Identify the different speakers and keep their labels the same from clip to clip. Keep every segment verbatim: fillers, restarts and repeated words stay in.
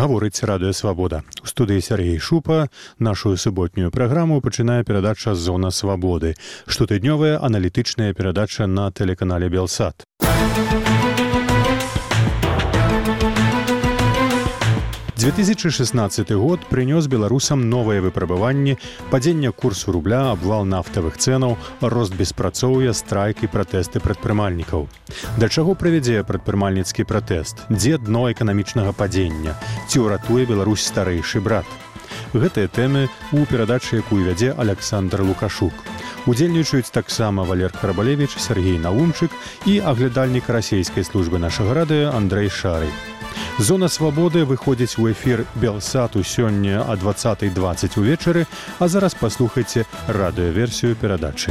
Speaker 1: Гаворыць Радыё Свабода. У студыі Сергей Шупа нашу суботнюю праграму пачынае перадача «Зона свабоды», штотыднёвая аналітычная перадача на тэлеканале Белсат. две тысячи шестнадцатый год прынёс беларусам новыя выпрабаванні, падзення курсу рубля, абвал нафтавых цэнаў, рост беспрацоўя, страйк і пратэсты прадпрымальнікаў. Да чаго прывядзе прадпрымальніцкі пратэст? Дзе дно эканамічнага падзення? Ці ўратуе Беларусь старэйшы брат? Гэтыя тэмы ў перадачы, якую вядзе Александр Лукашук. Удзельнічаюць таксама Валер Харабалевіч, Сергей Наумчык і аглядальнік расійскай службы нашага радыё Андрэй Шарый. «Зона свабоды» выходзіць у эфір Белсату сёння о двадцатай дваццаць увечары, а зараз паслухайце радыёверсію перадачы.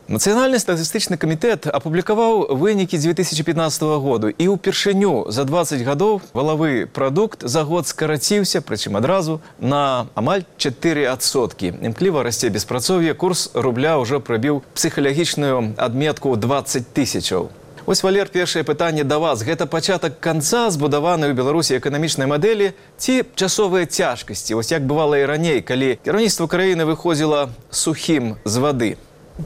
Speaker 2: Нацыянальны статыстычны камітэт апублікаваў вынікі две тысячи пятнадцатого году, і ўпершыню за дваццаць гадоў валавы прадукт за год скараціўся, прычым адразу, на амаль чатыры адсоткі. Імкліва расце беспрацоўе, курс рубля ўжо прабіў псіхалагічную адметку дваццаць тысячаў. Вось, Валер, першае пытанне да вас. Гэта пачатак канца збудаванай у Беларусі эканамічнай мадэлі ці часовыя цяжкасці? Вось як бывала і раней, калі кіраўніцтва краіны выходзіла сухім з вады?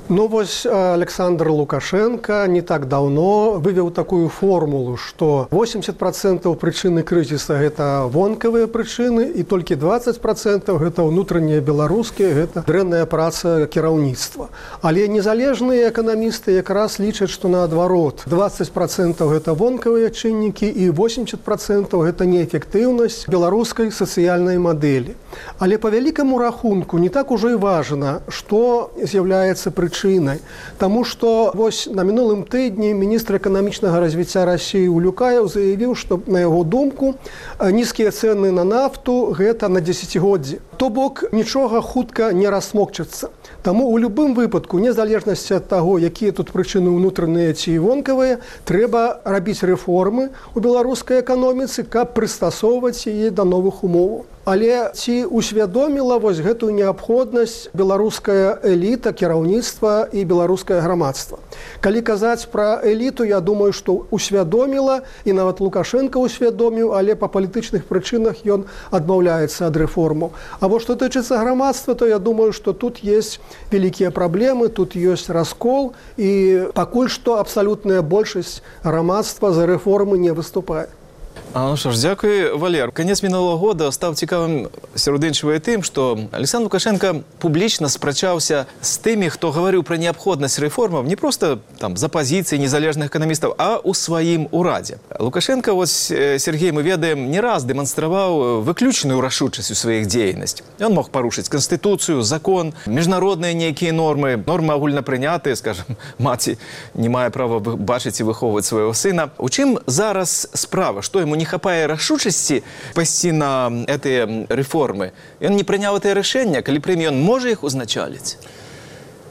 Speaker 3: Ну, вось Александр Лукашенко не так давно вывел такую формулу, что восемьдесят процентов причины кризиса – это вонкавыя причины, и только двадцать процентов – это внутренние белорусские, это дрэнная праца кіраўніцтва. Але незалежные экономисты как раз лічаць, что наоборот, двадцать процентов – это вонкавыя чыннікі, и восемьдесят процентов – это неэффективность белорусской социальной модели. Але по великому рахунку не так уже и важно, что является причиной. Тому что вось на минулым тыдні министр экономичного развития России Улюкаев заявил, что, на его думку, низкие цены на нафту – это на десятигоддзе. То бок ничего хутка не рассмокчется. Тому у любым выпадку, незалежности от того, какие тут причины внутренние ці вонкавыя, трэба рабіць реформы у беларускай эканоміцы, каб прыстасоўваць яе да новых умоваў. Але ці усвядоміла вось гэтую неабходнасць беларуская эліта, кіраўніцтва і беларускае грамадства? Калі казаць пра эліту, я думаю, што усвядоміла, і нават Лукашенко усвядоміў, але па палітычных прычынах ён адмаўляецца ад рэформаў. А вот што тычыцца грамадства, то я думаю, што тут есть вялікія праблемы, тут ёсць раскол, і пакуль што абсалютная большасць грамадства за рэформы не выступае.
Speaker 2: А, ну що ж, дякую, Валер. Конец минулого года став цікавим серед іншого і тим, що Олександр Лукашенко публічно спрачався з тими, хто говорив про необхідність реформів не просто там за позиції незалежних економістів, а у своїм ураді. Лукашенко, ось Сергій, ми ведаємо, не раз демонстрував виключну рішучість у своїх діяльностях. Він мог порушити Конституцію, закон, міжнародні ніякі норми, норми огульно прийняті, скажімо, маті не має права бачити і виховувати свого сина. У чим зараз справа? Що йому не хапае рашучасці пайсці на гэтыя рэформы? Ён не прыняў гэтае рашэнне, калі прыме, ён можа іх узначаліць?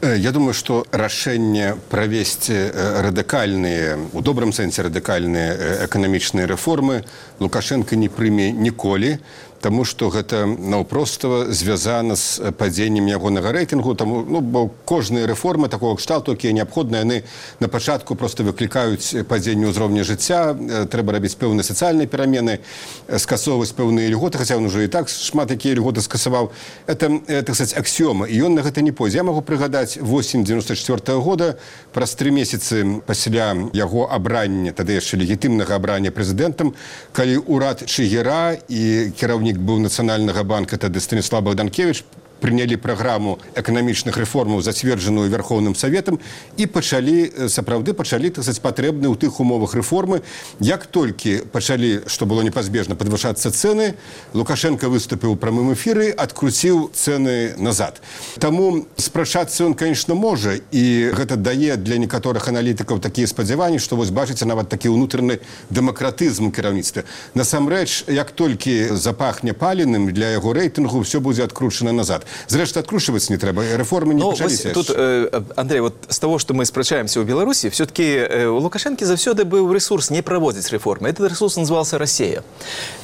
Speaker 4: Я думаю, что рашэнне правесці радыкальныя, у добрым сэнсе радыкальныя эканамічныя рэформы Лукашенко не прыме ніколі, тому что гэта наўпростава звязана з падзеннем ягонага рэйтынгу, таму, ну, бо кожныя рэформы такого кшталту, якія неабходныя, яны на пачатку просто выклікаюць падзенне ўзроўня жыцця, трэба рабіць пэўныя сацыяльныя перамены, скасоўваць пэўныя льготы, хаця ён уже і так шмат якія льготы скасаваў. Это, так сказать, аксіёма, і ён на гэта не пойдзе. Я магу прыгадаць восень девяносто четвёртого года, праз тры месяцы пасля яго абрання, тады яшчэ легітымнага абрання прэзідэнтам, калі ўрад Чыгера і кіраўнік быў Нацыянальнага банка, тады Станіслав Богданкевич, прынялі праграму эканамічных рэформаў, зацверджаную Верховным Саветам, і пачалі, сапраўды пачалі, так сказать, патрэбныя ў тых умовах рэформы. Як толькі пачалі, што было непазбежна, падвышацца цэны, Лукашенко выступіў у прамым эфіры, адкруціў цэны назад. Таму спрачацца ён, конечно, можа, і гэта дае для некаторых аналітыкаў такія спадзяванні, што вось бачыце нават такі ўнутраны дэмакратызм у кіраўніцтве. Насамрэч, як толькі запахне паленым, для яго рэйтынгу ўсё будзе адкручана назад. Зрештою, откручиваться не треба, реформи не
Speaker 2: Ну,
Speaker 4: почалися.
Speaker 2: тут, э, Андрей, вот с того, что мы спрачаемся у Беларуси, все-таки э, у Лукашенки завсёды был ресурс не проводить реформы. Этот ресурс назывался Россия.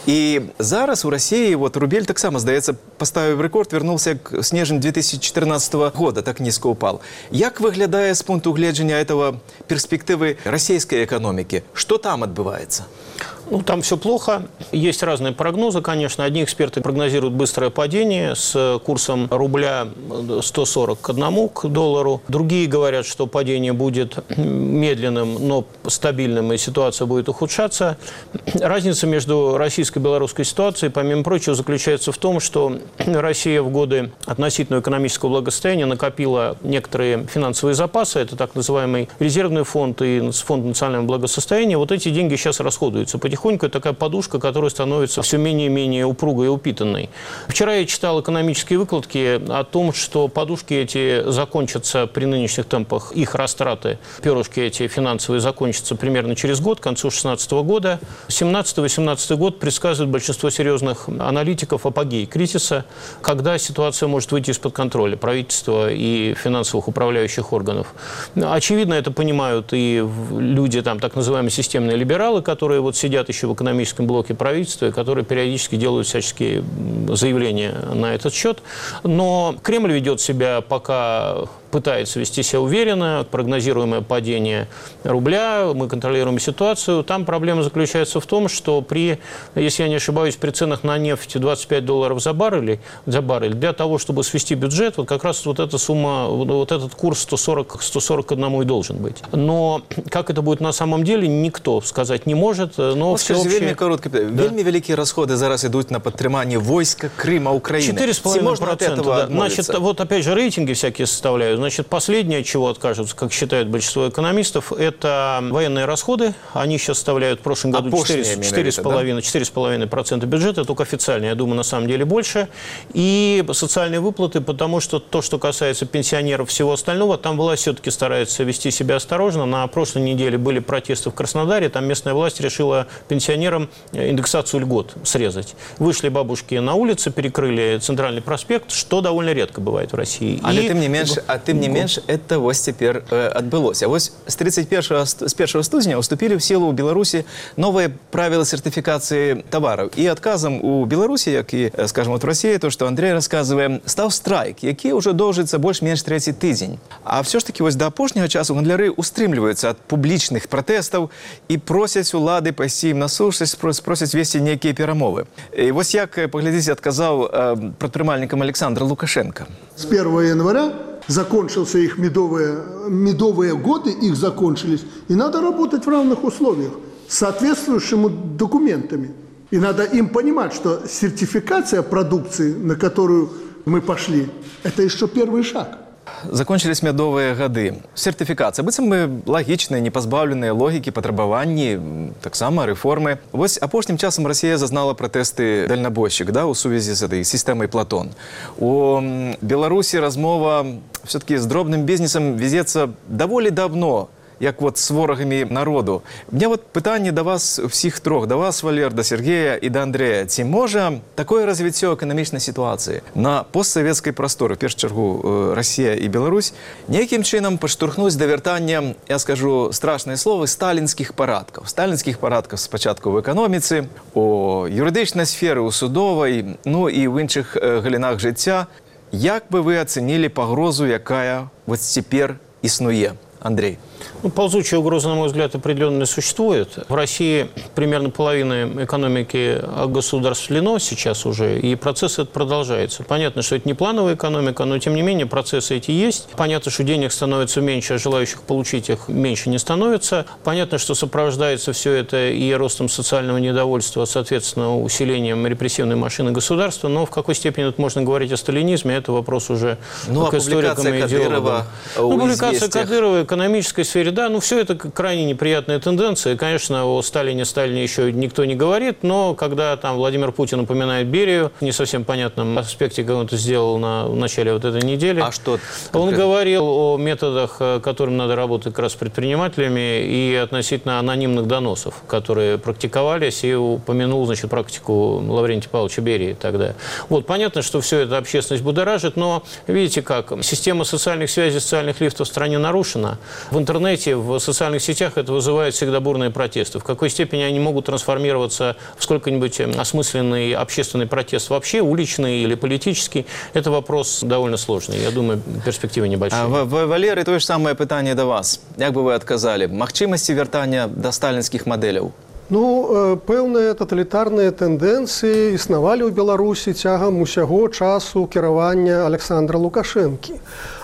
Speaker 2: И зараз у России вот рубель так само, здається, поставив рекорд, вернулся к снежень две тысячи четырнадцатого года, так низко упал. Як выглядает с пункту гледжения этого перспективы российской экономики? Что там отбывается?
Speaker 5: Ну, там все плохо. Есть разные прогнозы, конечно. Одни эксперты прогнозируют быстрое падение с курсом рубля сто сорок к одному к доллару. Другие говорят, что падение будет медленным, но стабильным, и ситуация будет ухудшаться. Разница между российской и белорусской ситуацией, помимо прочего, заключается в том, что Россия в годы относительного экономического благосостояния накопила некоторые финансовые запасы. Это так называемый резервный фонд и фонд национального благосостояния. Вот эти деньги сейчас расходуются потихоньку. Это такая подушка, которая становится все менее и менее упругой и упитанной. Вчера я читал экономические выкладки о том, что подушки эти закончатся при нынешних темпах, их растраты, перышки эти финансовые закончатся примерно через год, к концу две тысячи шестнадцатого года. семнадцатый-восемнадцатый год предсказывает большинство серьезных аналитиков апогей кризиса, когда ситуация может выйти из-под контроля правительства и финансовых управляющих органов. Очевидно, это понимают и люди, там, так называемые системные либералы, которые вот сидят еще в экономическом блоке правительства, которые периодически делают всяческие заявления на этот счет. Но Кремль ведет себя пока... пытается вести себя уверенно, прогнозируемое падение рубля, мы контролируем ситуацию. Там проблема заключается в том, что при, если я не ошибаюсь, при ценах на нефть двадцать пять долларов за баррель, за баррель, для того, чтобы свести бюджет, вот как раз вот эта сумма, вот этот курс сто сорок к одному и должен быть. Но как это будет на самом деле, никто сказать не может. Но
Speaker 2: всеобщее... Вельми коротко, да. Вельми великие расходы зараз идут на подтримание войска Крыма, Украины.
Speaker 5: четыре с половиной процента, да. Значит, вот опять же рейтинги всякие составляют. Значит, последнее, от чего откажутся, как считают большинство экономистов, это военные расходы. Они сейчас составляют в прошлом году четыре с половиной процента бюджета, только официально, я думаю, на самом деле больше. И социальные выплаты, потому что то, что касается пенсионеров, всего остального, там власть все-таки старается вести себя осторожно. На прошлой неделе были протесты в Краснодаре, там местная власть решила пенсионерам индексацию льгот срезать. Вышли бабушки на улицы, перекрыли центральный проспект, что довольно редко бывает в России.
Speaker 2: Але тым не менш, а тым не менш, это вось цяпер э, адбылося. Вось с тридцать первого, с первого студня уступили в силу у Беларуси новые правила сертификации товаров. И отказом у Беларуси, как и, скажем, вот в России, то, что Андрей рассказывает, стал страйк, який уже доўжыцца больш-менш трэці тыдзень. А все ж таки вось до апошняга часу гандляры устрымліваюцца ад публічных пратэстаў і просяць улады пайсці ім на сушнасць, просяць весці нейкія перамовы. І вось як, паглядзіце, адказаў э, прадпрымальнікам Александр Лукашенко.
Speaker 6: С первого января закончился их медовые, медовые годы, их закончились, и надо работать в равных условиях с соответствующими документами. И надо им понимать, что сертификация продукции, на которую мы пошли, это еще первый шаг.
Speaker 2: Закончились мядовыя гады. Сертыфікацыя. Быццам мы лагічныя, не пазбаўленыя логікі, патрабаванні, таксама рэформы. Вось апошнім часам Расія зазнала пратэсты дальнабойшчык, да, у сувязі з этой сістэмай Платон. У Беларусі размова все-таки з дробным бізнесам везецца даволі давно, як вот с ворагамі народу. У меня вот пытанне да вас всіх трох, да вас, Валер, да Сергея і да Андрея. Ці можа такое развіццё эканамічнай сітуацыі на постсавецкай прасторы, в першую чаргу Россия і Беларусь, нейкім чынам падштурхнуць да вяртання, я скажу страшныя словы, сталінскіх парадкаў. Сталінскіх парадкаў спачатку в эканоміцы, у юрыдычнай сферы, у судовай, ну і ў іншых галінах жыцця. Як бы вы ацэнілі пагрозу, якая вот цяпер існуе? Андрей.
Speaker 5: Ну, ползучая угроза, на мой взгляд, определенно существует. В России примерно половина экономики огосударствлено сейчас уже, и процесс этот продолжается. Понятно, что это не плановая экономика, но, тем не менее, процессы эти есть. Понятно, что денег становится меньше, а желающих получить их меньше не становится. Понятно, что сопровождается все это и ростом социального недовольства, соответственно, усилением репрессивной машины государства. Но в какой степени тут можно говорить о сталинизме, это вопрос уже
Speaker 2: ну,
Speaker 5: к историкам и идеологам.
Speaker 2: Ну,
Speaker 5: публикация Кадырова, экономическая сфере, да, ну все это крайне неприятная тенденция. Конечно, о Сталине, Сталине еще никто не говорит, но когда там Владимир Путин упоминает Берию, в не совсем понятном аспекте, как он это сделал на, в начале вот этой недели.
Speaker 2: А что?
Speaker 5: Он говорил о методах, которым надо работать как раз с предпринимателями, и относительно анонимных доносов, которые практиковались, и упомянул, значит, практику Лаврентия Павловича Берии тогда. Вот, понятно, что все это общественность будоражит, но видите как, система социальных связей, социальных лифтов в стране нарушена. В интернете, в социальных сетях это вызывает всегда бурные протесты. В какой степени они могут трансформироваться в сколько-нибудь осмысленный общественный протест вообще, уличный или политический, это вопрос довольно сложный. Я думаю, перспективы небольшие.
Speaker 2: А, Валерий, то же самое питание до вас. Як бы вы отказали? Магчимости вертания до сталинских моделей?
Speaker 3: Ну, пэўныя таталітарныя тэндэнцыі існавалі ў Беларусі цягам усяго часу кіравання Александра Лукашэнкі.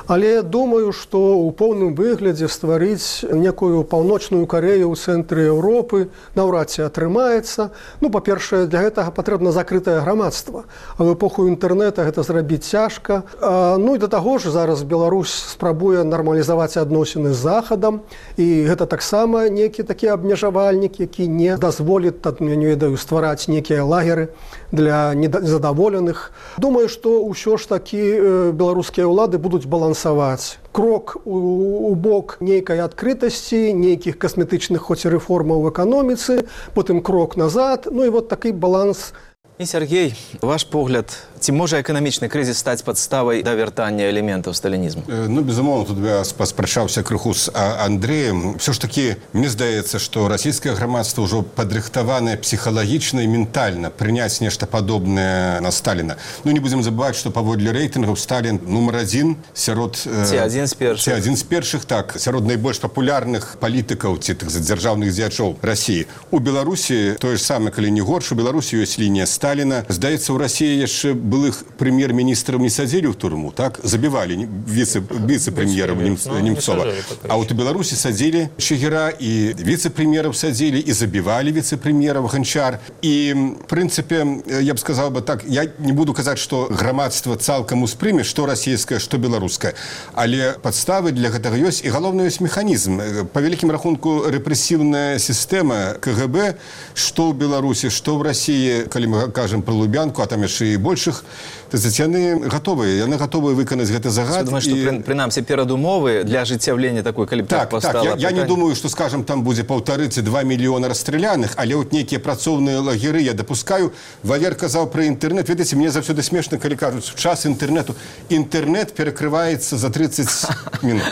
Speaker 3: Але думаю, што ў поўным выглядзе стварыць некую паўночную Карею ў цэнтры Еўропы наўрад ці атрымаецца. Ну, па-першае, для гэтага патрэбна закрытае грамадства. А ў эпоху інтэрнэта гэта зрабіць цяжка. А, ну і да таго ж зараз Беларусь спрабуе нармалізаваць адносіны з Захадам. І гэта таксама некі такі абмежавальнік, які не дазволіць, я не ведаю, ствараць некія лагеры для незадаволеных. Думаю, што ўсё ж такі беларускія ўлады будуць балансаваць. Крок у, у бок нейкай адкрытасці, нейкіх касметычных хоць і рэформаў в эканоміцы, потым крок назад, ну і вот такі баланс.
Speaker 2: І, Сергей, ваш погляд, ці можа эканамічны крызіс стаць падставай да вяртання элементаў сталінізму?
Speaker 4: Ну, безумоўна, тут я паспрачаўся крыху з Андрэем. Все ж таки, мне здаецца, што расійскае грамадства ўжо падрыхтаванае псіхалагічна і ментальна прыняць нешта падобнае на Сталіна. Ну, не будзем забываць, што паводле рэйтынгаў Сталін нумар адзін сярод...
Speaker 2: Ці адзін з першых.
Speaker 4: Ці адзін з першых, так, сярод найбольш папулярных палітыкаў ці тых дзяржаўных дзеячоў Расіі. У Беларусі тое ж самае, калі не горш, у Беларусі ёсць лінія Сталіна. Сталіна. Здаецца, у Расіі яшчэ былых прэм'ер-міністраў не садзілі ў турму, так? Забівалі віцэ-прэм'ераў Немцова. А вот у Беларусі садзілі Чигира і віцэ-прэм'ераў садзілі, і забівалі віцэ-прэм'ераў Ганчар. І, в прынцыпе, я б сказаў бы так, я не буду казаць, што грамадства цалкам успрыме, што расійскае, што беларускае. Але падставы для гэтага ёсць, і галоўны ёсць механізм. Па вялікім рахунку рэпрэсіўная сістэма ка гэ бэ, што ў Беларусі, што ў Расіі, калі мы кажам про Лубянку, а там яшчэ і большых, яны гатовыя, яны гатовыя выканаць гэты загад.
Speaker 2: Думаю, што і... прынамсі перадумовы для ажыццяўлення такой, калі б так, так пастала...
Speaker 4: Так, я, я не думаю, што, скажам, там будзе паўтары ці два мільёна расстраляных, але от нейкія працоўныя лагеры я дапускаю. Валер казаў пра інтэрнэт. Ведаеце, мне заўсёды смешна, калі кажуць, в час інтэрнэту. Інтэрнэт перакрываецца за тридцать минут.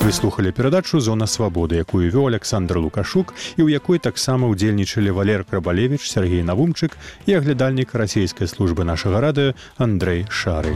Speaker 1: Вы слухали перадачу «Зона свабоды», якую вёў Александр Лукашук і ў якой таксама ўдзельнічалі Валер Крабалевіч, Сергей Навумчык і аглядальнік расійскай службы нашага радыё Андрэй Шары.